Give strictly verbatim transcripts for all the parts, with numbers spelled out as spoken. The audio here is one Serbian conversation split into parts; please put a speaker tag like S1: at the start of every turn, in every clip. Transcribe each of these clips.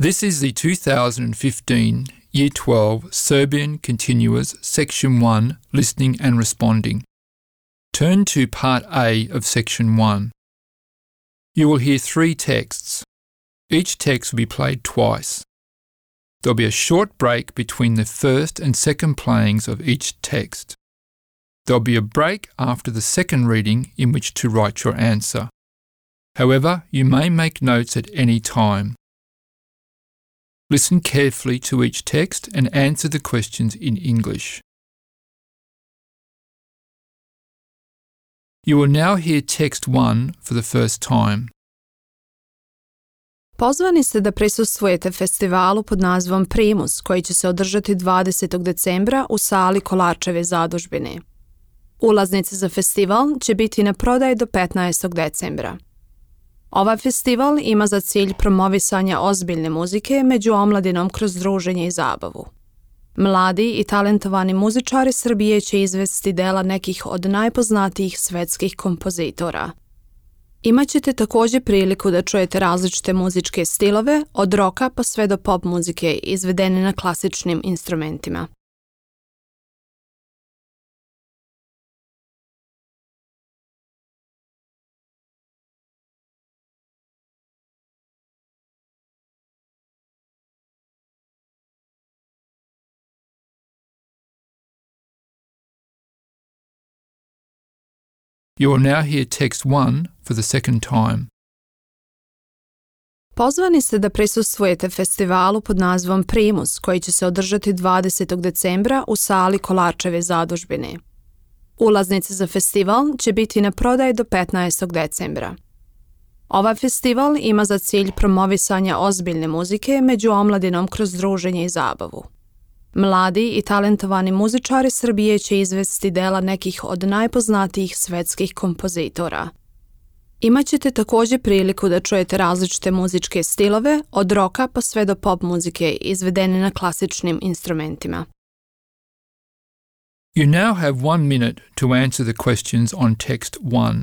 S1: This is the two thousand fifteen Year twelve Serbian Continuous Section one Listening and Responding. Turn to Part A of Section one. You will hear three texts. Each text will be played twice. There will be a short break between the first and second playings of each text. There will be a break after the second reading in which to write your answer. However, you may make notes at any time. Listen carefully to each text and answer the questions in English. You will now hear text one for the first time.
S2: Pozvani ste da prisustvujete festivalu pod nazivom Primus, koji će se održati dvadesetog decembra u sali Kolarčeve zadužbine. Ulaznice za festival će biti na prodaju do petnaestog decembra. Ovaj festival ima za cilj promovisanje ozbiljne muzike među omladinom kroz druženje i zabavu. Mladi i talentovani muzičari Srbije će izvesti dela nekih od najpoznatijih svetskih kompozitora. Imaćete također priliku da čujete različite muzičke stilove, od roka pa sve do pop muzike izvedene na klasičnim instrumentima.
S1: You will now hear text one for the second time.
S2: Pozvani ste da prisustvujete festivalu pod nazivom Primus, koji će se održati dvadesetog decembra u sali Kolarčeve zadužbine. Ulaznice za festival će biti na prodaju do petnaestog decembra. Ovaj festival ima za cilj promovisanje ozbiljne muzike među omladinom kroz druženje i zabavu. Mladi i talentovani muzičari Srbije će izvesti dela nekih od najpoznatijih svetskih kompozitora. Imaćete također priliku da čujete različite muzičke stilove, od roka pa sve do pop muzike izvedene na klasičnim instrumentima.
S1: You now have one minute to answer the questions on text one.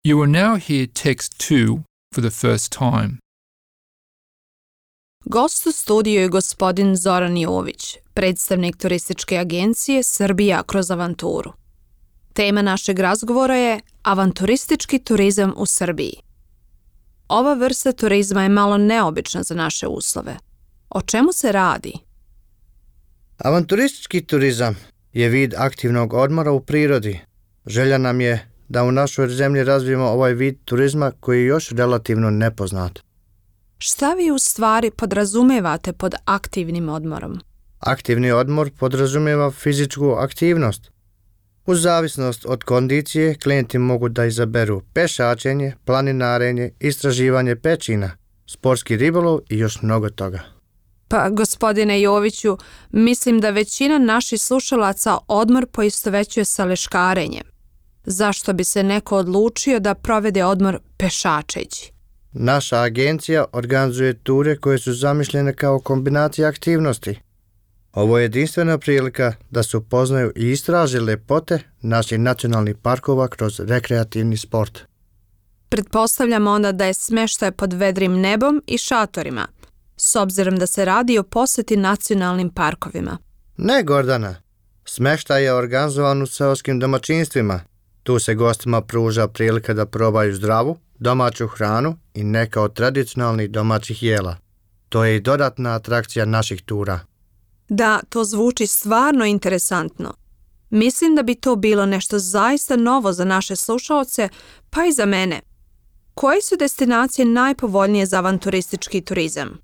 S1: You will now hear text two for the first time.
S2: Gost u studiju je gospodin Zoran Jović, predstavnik turističke agencije Srbija kroz avanturu. Tema našeg razgovora je avanturistički turizam u Srbiji. Ova vrsta turizma je malo neobična za naše uslove. O čemu se radi?
S3: Avanturistički turizam je vid aktivnog odmora u prirodi. Želja nam je da u našoj zemlji razvijemo ovaj vid turizma koji je još relativno nepoznat.
S2: Šta vi u stvari podrazumevate pod aktivnim odmorom?
S3: Aktivni odmor podrazumeva fizičku aktivnost. U zavisnost od kondicije, klijenti mogu da izaberu pešačenje, planinarenje, istraživanje pećina, sportski ribolov i još mnogo toga.
S2: Pa, gospodine Joviću, mislim da većina naših slušalaca odmor poistovećuje sa leškarenjem. Zašto bi se neko odlučio da provede odmor pešačeći?
S3: Naša agencija organizuje ture koje su zamišljene kao kombinacija aktivnosti. Ovo je jedinstvena prilika da se upoznaju i istraže lepote naših nacionalnih parkova kroz rekreativni sport.
S2: Pretpostavljam onda da je smeštaj pod vedrim nebom i šatorima, s obzirom da se radi o posjeti nacionalnim parkovima.
S3: Ne, Gordana. Smeštaj je organizovan u seoskim domaćinstvima. Tu se gostima pruža prilika da probaju zdravu, domaću hranu i neka od tradicionalnih domaćih jela. To je i dodatna atrakcija naših tura.
S2: Da, to zvuči stvarno interesantno. Mislim da bi to bilo nešto zaista novo za naše slušaoce, pa i za mene. Koje su destinacije najpovoljnije za avanturistički turizam?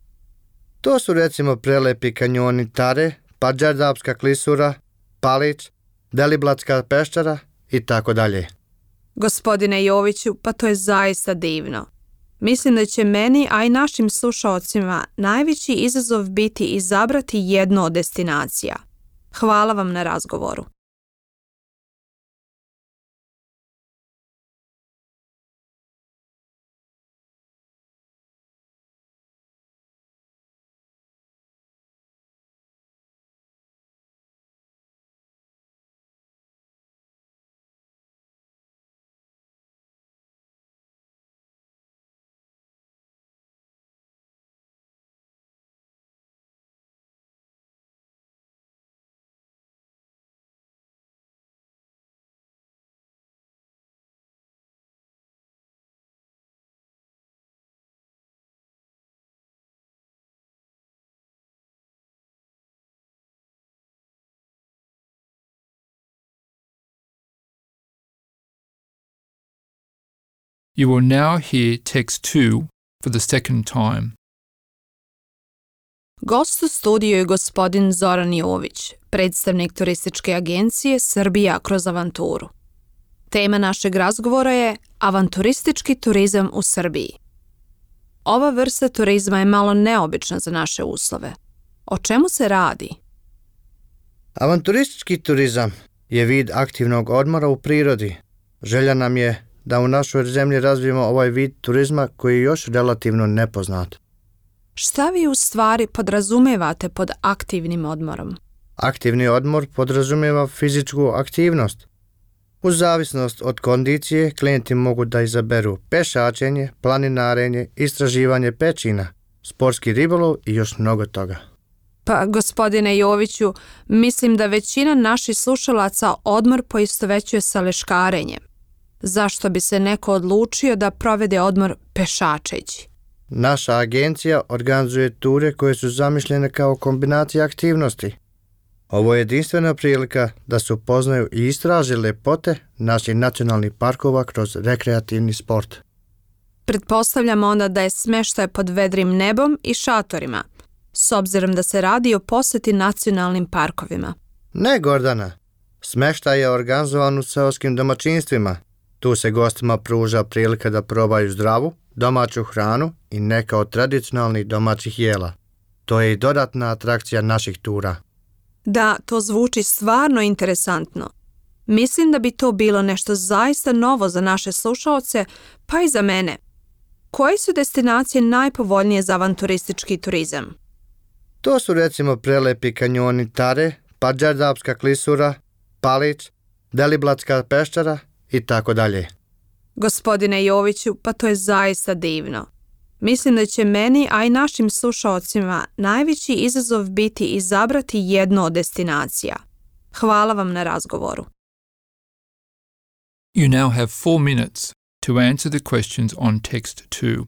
S3: To su recimo prelepi kanjoni Tare, Padžardapska klisura, Palić, Deliblatska peščara i tako dalje.
S2: Gospodine Joviću, pa to je zaista divno. Mislim da će meni, a i našim slušaocima, najveći izazov biti izabrati jednu od destinacija. Hvala vam na razgovoru.
S1: You will now hear text two for the second time.
S2: Gost u studiju je gospodin Zoran Jović, predstavnik turističke agencije Srbija kroz avanturu. Tema našeg razgovora je avanturistički turizam u Srbiji. Ova vrsta turizma je malo neobična za naše uslove. O čemu se radi?
S3: Avanturistički turizam je vid aktivnog odmora u prirodi. Želja nam je da u našoj zemlji razvijemo ovaj vid turizma koji je još relativno nepoznat.
S2: Šta vi u stvari podrazumevate pod aktivnim odmorom?
S3: Aktivni odmor podrazumijeva fizičku aktivnost. U zavisnost od kondicije, klijenti mogu da izaberu pešačenje, planinarenje, istraživanje pećina, sportski ribolov i još mnogo toga.
S2: Pa, gospodine Joviću, mislim da većina naših slušalaca odmor poistovećuje sa leškarenjem. Zašto bi se neko odlučio da provede odmor pešačeći?
S3: Naša agencija organizuje ture koje su zamišljene kao kombinacija aktivnosti. Ovo je jedinstvena prilika da se upoznaju i istraže lepote naših nacionalnih parkova kroz rekreativni sport.
S2: Pretpostavljam onda da je smeštaj pod vedrim nebom i šatorima, s obzirom da se radi o posjeti nacionalnim parkovima.
S3: Ne, Gordana. Smeštaj je organizovan u seoskim domaćinstvima. Tu se gostima pruža prilika da probaju zdravu, domaću hranu i neka od tradicionalnih domaćih jela. To je i dodatna atrakcija naših tura.
S2: Da, to zvuči stvarno interesantno. Mislim da bi to bilo nešto zaista novo za naše slušaoce, pa i za mene. Koje su destinacije najpovoljnije za avanturistički turizam?
S3: To su recimo prelepi kanjoni Tare, Padžardapska klisura, Palić, Deliblatska peščara i tako dalje.
S2: Gospodine Joviću, pa to je zaista divno. Mislim da će meni, a i našim slušaocima, najveći izazov biti izabrati jednu od destinacija. Hvala vam na razgovoru.
S1: You now have four minutes to answer the questions on text two.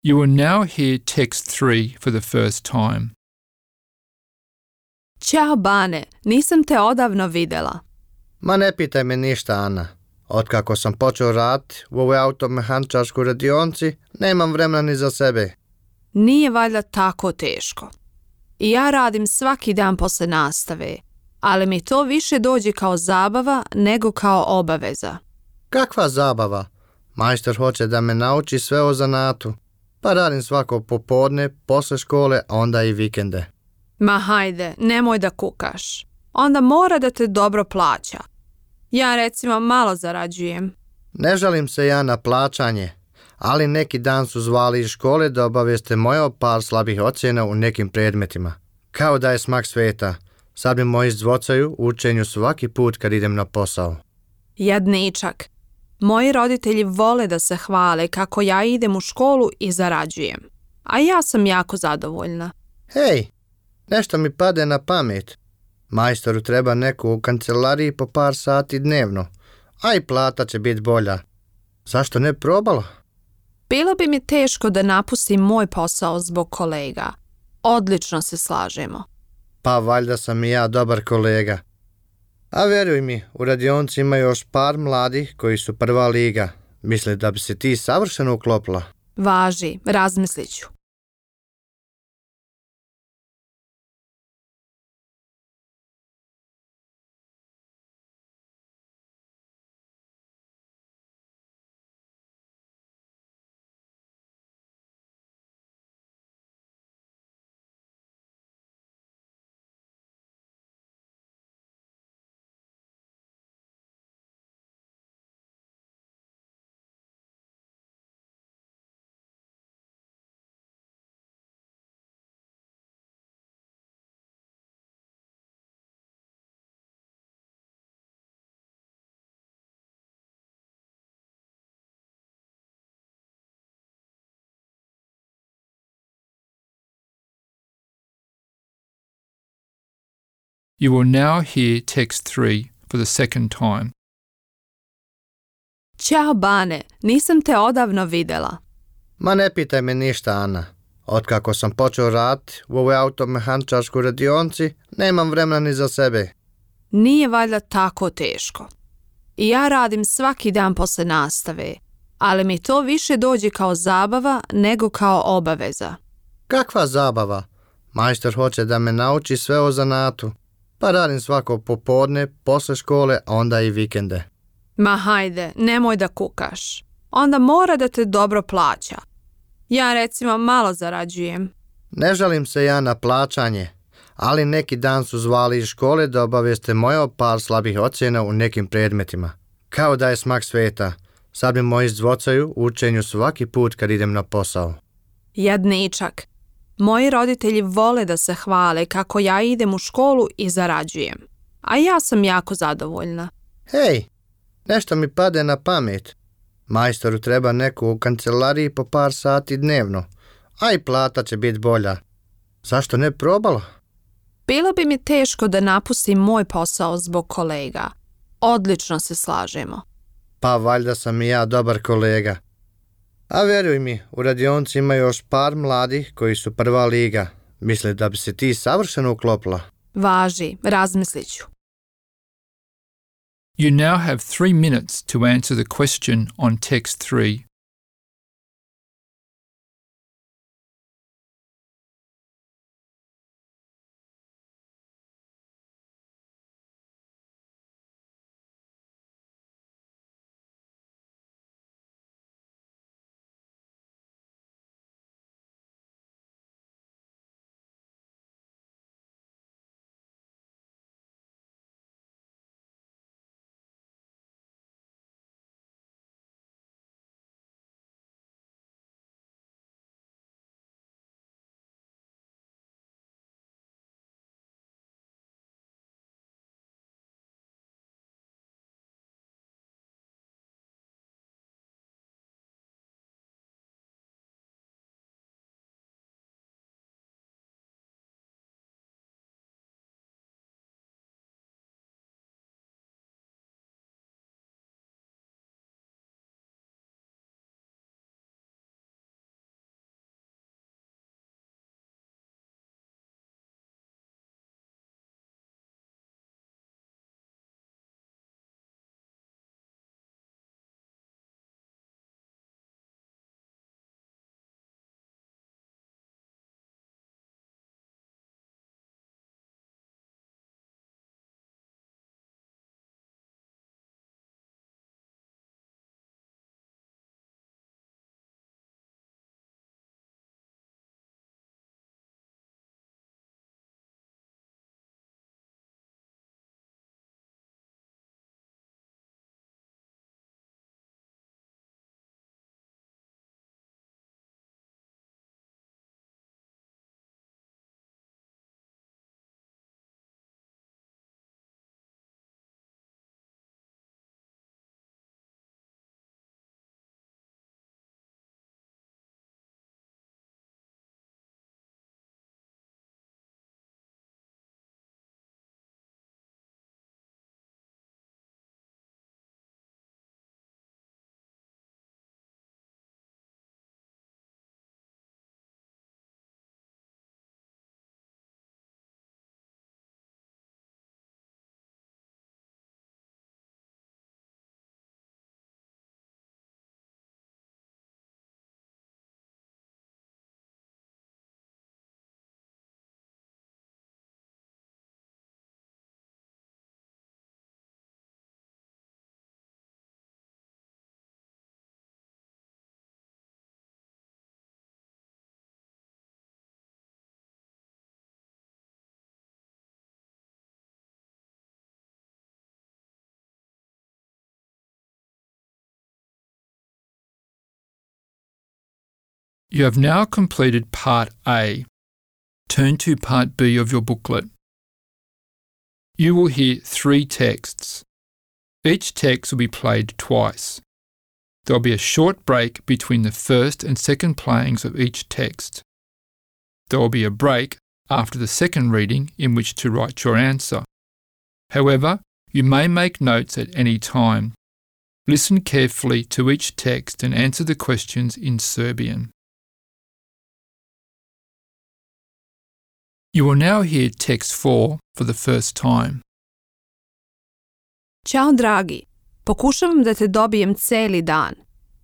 S1: You will now hear text three for the first time.
S2: Ćao Bane, nisam te odavno videla.
S3: Ma ne pitaj me ništa, Ana. Otkako sam počeo raditi u ovoj automehaničarskoj radionci, nemam vremena ni za sebe.
S2: Nije valjda tako teško. I ja radim svaki dan posle nastave, ali mi to više dođe kao zabava nego kao obaveza.
S3: Kakva zabava? Majstor hoće da me nauči sve o zanatu. Pa radim svako popodne, posle škole, a onda i vikende.
S2: Ma hajde, nemoj da kukaš. Onda mora da te dobro plaća. Ja recimo malo zarađujem.
S3: Ne žalim se ja na plaćanje, ali neki dan su zvali iz škole da obavijeste moje o par slabih ocjena u nekim predmetima. Kao da je smak sveta. Sad mi moji zvocaju u učenju svaki put kad idem na posao.
S2: Jadničak. Moji roditelji vole da se hvale kako ja idem u školu i zarađujem. A ja sam jako zadovoljna.
S3: Hej, nešto mi pade na pamet. Majstoru treba neku u kancelariji po par sati dnevno, a i plata će biti bolja. Zašto ne probala?
S2: Bilo bi mi teško da napustim moj posao zbog kolega. Odlično se slažemo.
S3: Pa valjda sam i ja dobar kolega. A vjeruj mi, u radionci ima još par mladih koji su prva liga. Misle da bi se ti savršeno uklopila.
S2: Važi, razmislit ću.
S1: You will now hear text three for the second time.
S2: Ćao Bane, nisam te odavno videla.
S3: Ma ne pitaj me ništa, Ana. Otkako sam počeo raditi u ovoj automehaničarskoj radionci, nemam vremena ni za sebe.
S2: Nije valjda tako teško. I ja radim svaki dan posle nastave, ali mi to više dođe kao zabava nego kao obaveza.
S3: Kakva zabava? Majstor hoće da me nauči sve o zanatu. Pa radim svako popodne, posle škole, a onda i vikende.
S2: Ma hajde, nemoj da kukaš. Onda mora da te dobro plaća. Ja recimo malo zarađujem.
S3: Ne žalim se ja na plaćanje, ali neki dan su zvali iz škole da obavijeste moje o par slabih ocjena u nekim predmetima. Kao da je smak sveta. Sad mi moji zvocaju u učenju svaki put kad idem na posao.
S2: Jadničak. Moji roditelji vole da se hvale kako ja idem u školu i zarađujem. A ja sam jako zadovoljna.
S3: Hej, nešto mi pade na pamet. Majstoru treba neku u kancelariji po par sati dnevno, a i plata će biti bolja. Zašto ne probala?
S2: Bilo bi mi teško da napustim moj posao zbog kolega. Odlično se slažemo.
S3: Pa valjda sam i ja dobar kolega. A vjeruj mi, u radionci ima još par mladih koji su prva liga. Misle da bi se ti savršeno uklopila.
S2: Važi, razmislit ću.
S1: You now have three minutes to answer the question on text three. You have now completed Part A. Turn to Part B of your booklet. You will hear three texts. Each text will be played twice. There will be a short break between the first and second playings of each text. There will be a break after the second reading in which to write your answer. However, you may make notes at any time. Listen carefully to each text and answer the questions in Serbian. You will now hear text four for the first time.
S2: Ćao dragi, pokušavam da te dobijem celi dan.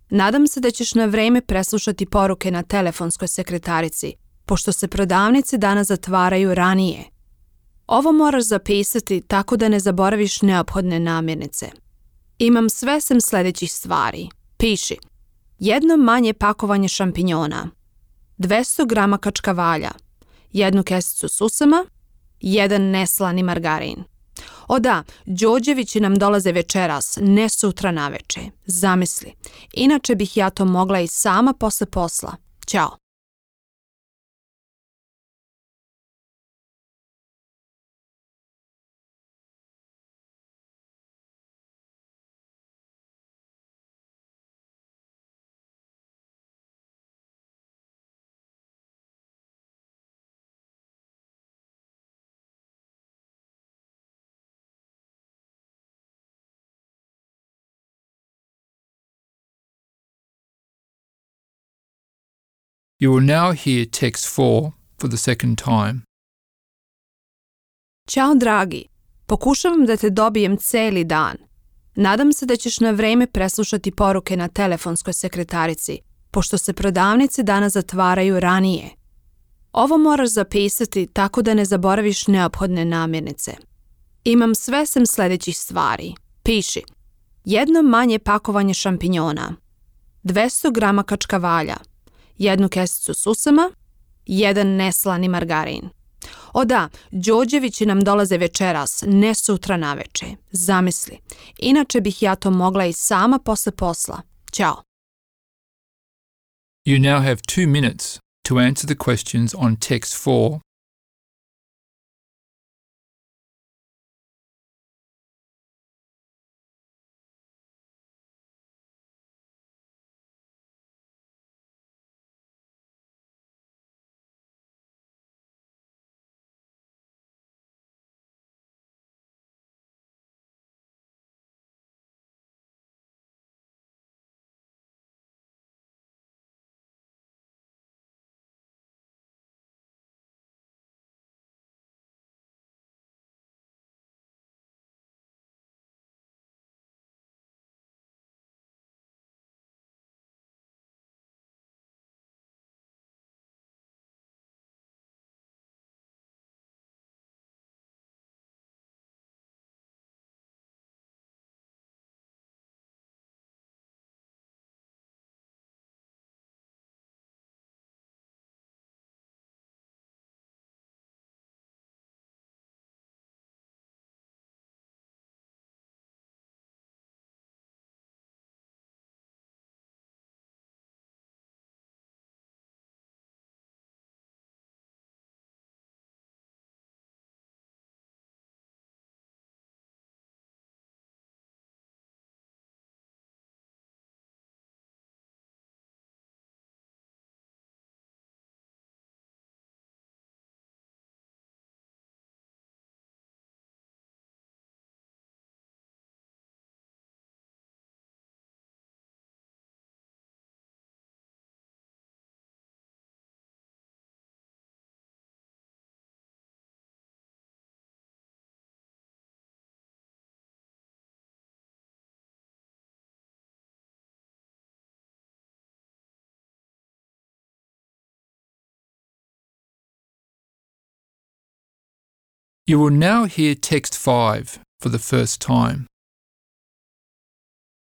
S2: Nadam se da ćeš na vreme preslušati poruke na telefonskoj sekretarici, pošto se prodavnice danas zatvaraju ranije. Ovo moraš zapisati tako da ne zaboraviš neophodne namirnice. Imam sve sem sljedećih stvari. Piši. Jedno manje pakovanje šampinjona, dvesta grama kačkavalja, jednu kesicu susama, jedan neslani margarin. O da, Đorđevići nam dolaze večeras, ne sutra naveče. Zamisli. Inače bih ja to mogla i sama posle posla. Ćao.
S1: You will now hear text four for the second time.
S2: Ćao dragi, pokušavam da te dobijem celi dan. Nadam se da ćeš na vreme preslušati poruke na telefonskoj sekretarici, pošto se prodavnice danas zatvaraju ranije. Ovo moraš zapisati tako da ne zaboraviš neophodne namirnice. Imam sve sem sljedećih stvari. Piši. Jedno manje pakovanje šampinjona, dvesta grama kačkavalja, jednu kesicu susama, jedan neslani margarin. O da, Đorđevići nam dolaze večeras, ne sutra naveče. Zamisli. Inače bih ja to mogla i sama posle posla. Ćao.
S1: You now have two minutes to answer the questions on text four. You will now hear text five for the first time.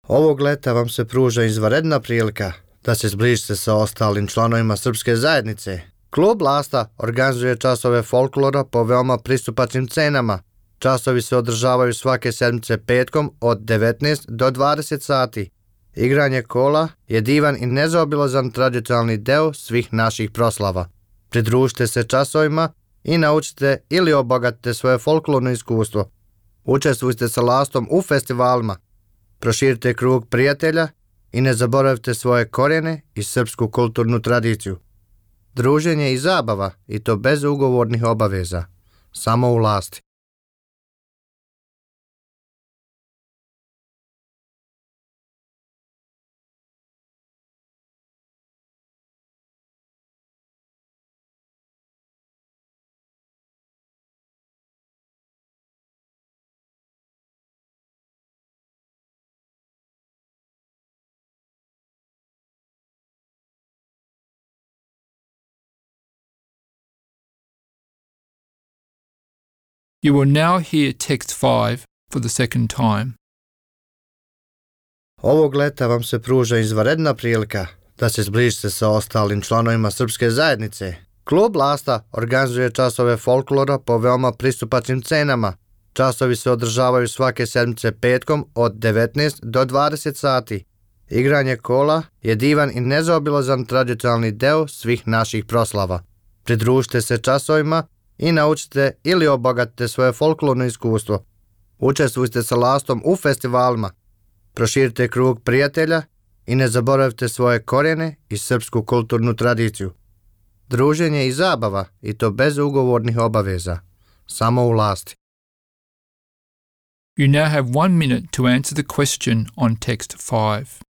S3: Ovog leta vam se pruža izvanredna prilika da se zbližite sa ostalim članovima srpske zajednice. Klub Lasta organizuje časove folklora po veoma pristupačnim cenama. Časovi se održavaju svake sedmice petkom od devetnaest do dvadeset sati. Igranje kola je divan i nezaobilazan tradicionalni deo svih naših proslava. Pridružite se časovima i naučite ili obogatite svoje folklorno iskustvo. Učestvujte sa lastom u festivalima. Proširite krug prijatelja i ne zaboravite svoje korijene i srpsku kulturnu tradiciju. Druženje i zabava, i to bez ugovornih obaveza. Samo u lasti.
S1: You will now hear text five for the second time.
S3: Ovog leta vam se pruža izvanredna prilika da se zbližite sa ostalim članovima srpske zajednice. Klub Lasta organizuje časove folklora po veoma pristupačnim cenama. Časovi se održavaju svake sedmice petkom od devetnaest do dvadeset sati. Igranje kola je divan i nezaobilazan tradicionalni deo svih naših proslava. Pridružite se časovima i naučite ili obogatite svoje folklorno iskustvo. Učestvujte sa lastom u festivalima. Proširite krug prijatelja i ne zaboravite svoje korijene i srpsku kulturnu tradiciju. Druženje i zabava, i to bez ugovornih obaveza. Samo u lasti.
S1: You now have one minute to answer the question on text five.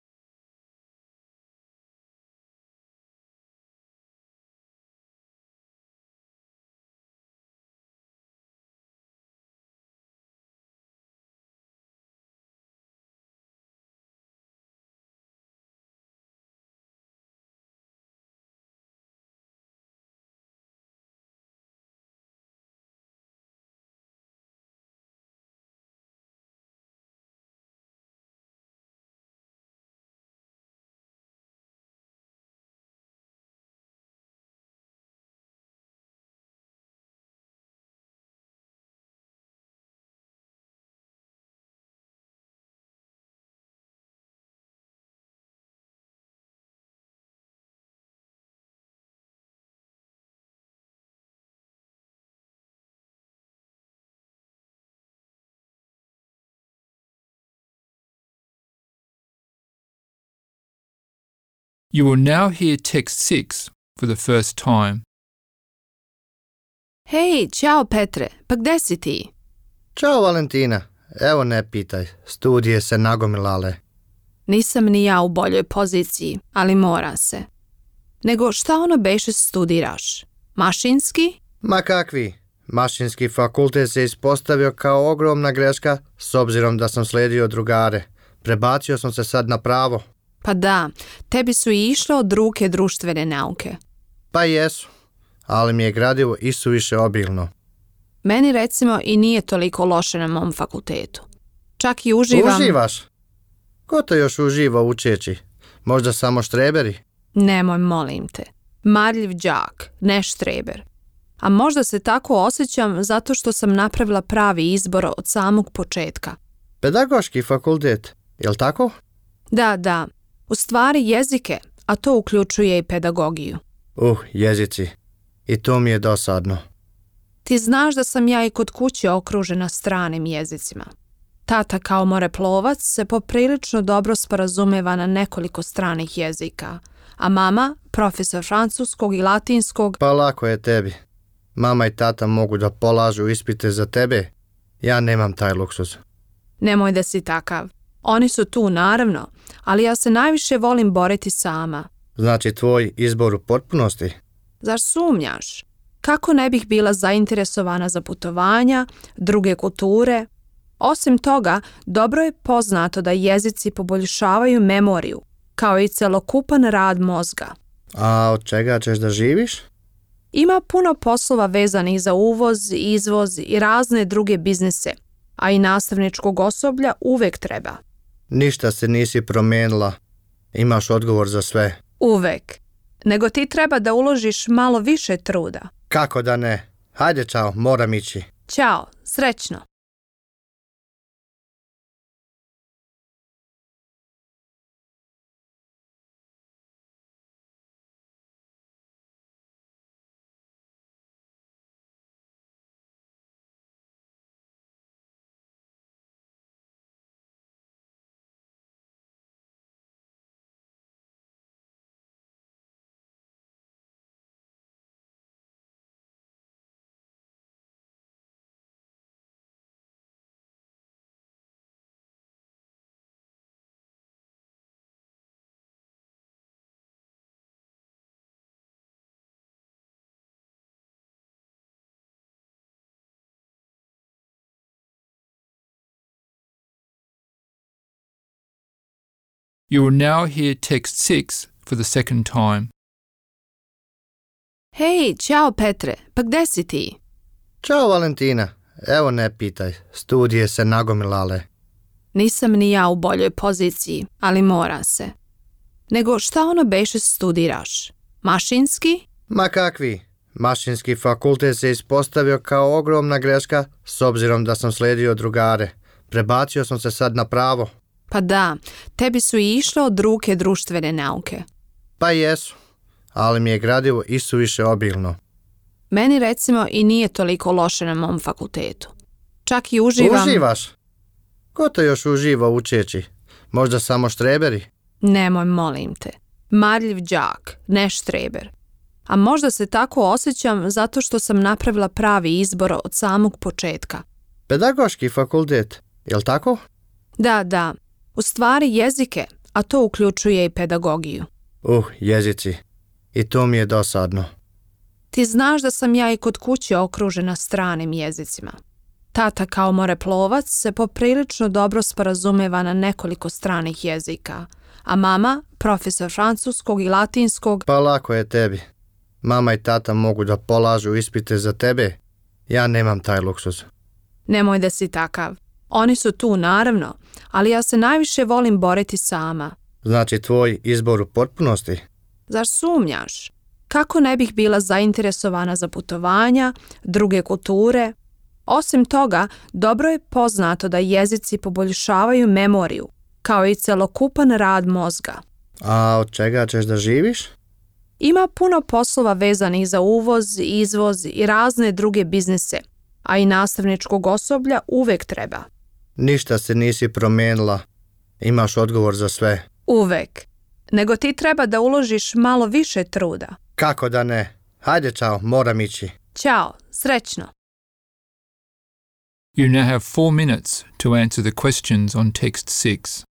S1: You will now hear text six for the first time.
S2: Hej, čao Petre, pa gde si ti?
S3: Ćao Valentina, evo ne pitaj, studije se nagomilale.
S2: Nisam ni ja u boljoj poziciji, ali mora se. Nego šta ono beše studiraš? Mašinski?
S3: Ma kakvi, mašinski fakultet se ispostavio kao ogromna greška s obzirom da sam slijedio drugare. Prebacio sam se sad na pravo.
S2: Pa da, tebi su i išle od ruke društvene nauke.
S3: Pa jesu, ali mi je gradivo isuviše obilno.
S2: Meni recimo i nije toliko loše na mom fakultetu. Čak i uživam...
S3: Uživaš? Ko to još uživa učeći? Možda samo štreberi?
S2: Nemoj, molim te. Marljiv đak, ne štreber. A možda se tako osjećam zato što sam napravila pravi izbor od samog početka.
S3: Pedagoški fakultet, jel tako?
S2: Da, da. U stvari jezike, a to uključuje i pedagogiju.
S3: Uh, jezici. I to mi je dosadno.
S2: Ti znaš da sam ja i kod kuće okružena stranim jezicima. Tata kao moreplovac se poprilično dobro sporazumeva na nekoliko stranih jezika, a mama, profesor francuskog i latinskog...
S3: Pa lako je tebi. Mama i tata mogu da polažu ispite za tebe. Ja nemam taj luksuz.
S2: Nemoj da si takav. Oni su tu, naravno, ali ja se najviše volim boriti sama.
S3: Znači tvoj izbor u potpunosti?
S2: Zar sumnjaš? Kako ne bih bila zainteresovana za putovanja, druge kulture? Osim toga, dobro je poznato da jezici poboljšavaju memoriju, kao i celokupan rad mozga.
S3: A od čega ćeš da živiš?
S2: Ima puno poslova vezanih za uvoz, izvoz i razne druge biznise, a i nastavničkog osoblja uvek treba.
S3: Ništa se nisi promijenila. Imaš odgovor za sve.
S2: Uvek. Nego ti treba da uložiš malo više truda.
S3: Kako da ne? Hajde, čao, moram ići.
S2: Ćao, srećno.
S1: You will now hear text six for the second time.
S2: Hej, ćao Petre, pa gde si ti?
S3: Ćao Valentina, evo ne pitaj, studije se nagomilale.
S2: Nisam ni ja u boljoj poziciji, ali mora se. Nego šta ono beše studiraš? Mašinski?
S3: Ma kakvi, mašinski fakultet se ispostavio kao ogromna greška s obzirom da sam slijedio drugare. Prebacio sam se sad na pravo.
S2: Pa da, tebi su i išle od ruke društvene nauke.
S3: Pa jesu, ali mi je gradivo isuviše obilno.
S2: Meni recimo i nije toliko loše na mom fakultetu. Čak i uživam...
S3: Uživaš? Ko to još uživa učeći? Možda samo štreberi?
S2: Nemoj, molim te. Marljiv đak, ne štreber. A možda se tako osjećam zato što sam napravila pravi izbor od samog početka.
S3: Pedagoški fakultet, jel tako?
S2: Da, da. U stvari jezike, a to uključuje i pedagogiju.
S3: Uh, jezici. I to mi je dosadno.
S2: Ti znaš da sam ja i kod kuće okružena stranim jezicima. Tata kao moreplovac se poprilično dobro sporazumeva na nekoliko stranih jezika, a mama, profesor francuskog i latinskog...
S3: Pa lako je tebi. Mama i tata mogu da polažu ispite za tebe. Ja nemam taj luksuz.
S2: Nemoj da si takav. Oni su tu, naravno, ali ja se najviše volim boriti sama.
S3: Znači tvoj izbor u potpunosti?
S2: Zar sumnjaš? Kako ne bih bila zainteresovana za putovanja, druge kulture? Osim toga, dobro je poznato da jezici poboljšavaju memoriju, kao i celokupan rad mozga.
S3: A od čega ćeš da živiš?
S2: Ima puno poslova vezanih za uvoz, izvoz i razne druge biznise, a i nastavničkog osoblja uvek treba.
S3: Ništa se nisi promijenila. Imaš odgovor za sve.
S2: Uvek. Nego ti treba da uložiš malo više truda.
S3: Kako da ne? Hajde, čao, moram ići.
S2: Ćao, srećno.
S1: You now have four minutes to answer the questions on text six.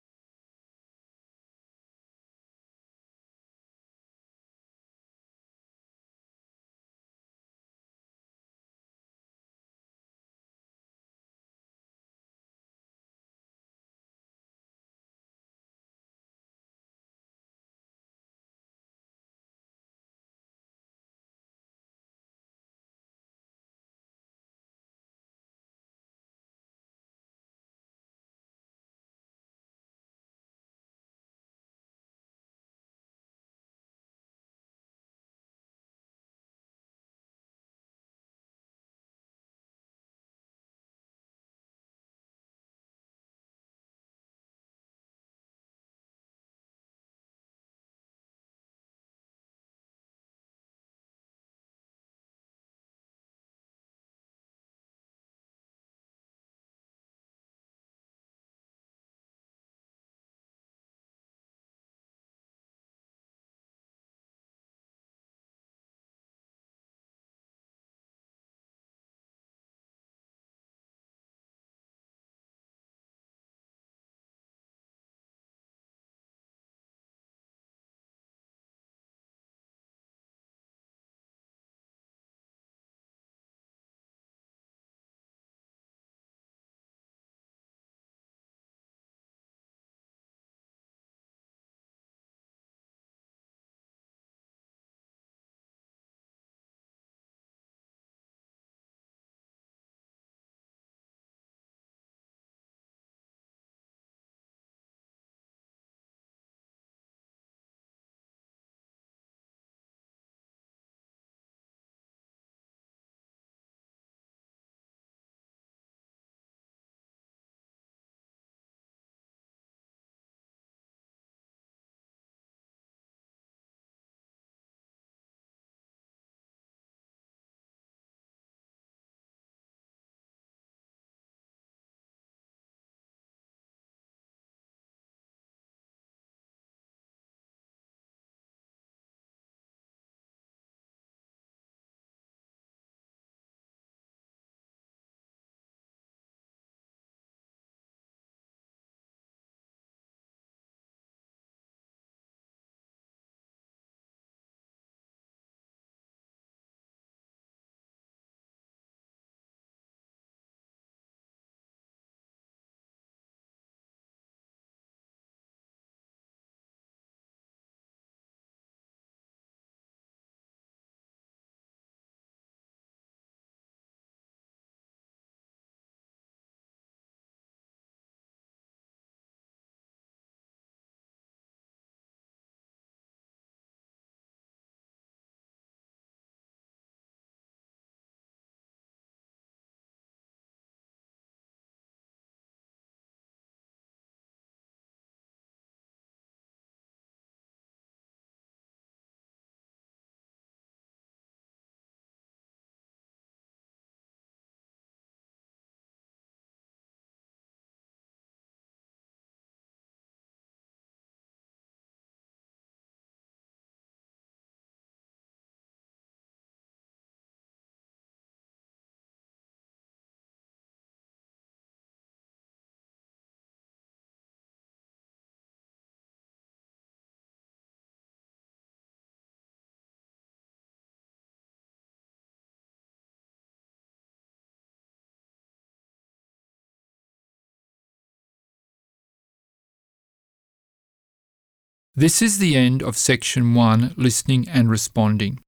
S1: This is the end of Section one, Listening and Responding.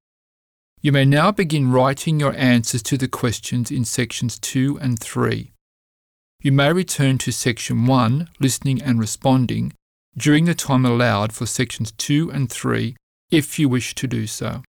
S1: You may now begin writing your answers to the questions in Sections two and three. You may return to Section one, Listening and Responding, during the time allowed for Sections two and three if you wish to do so.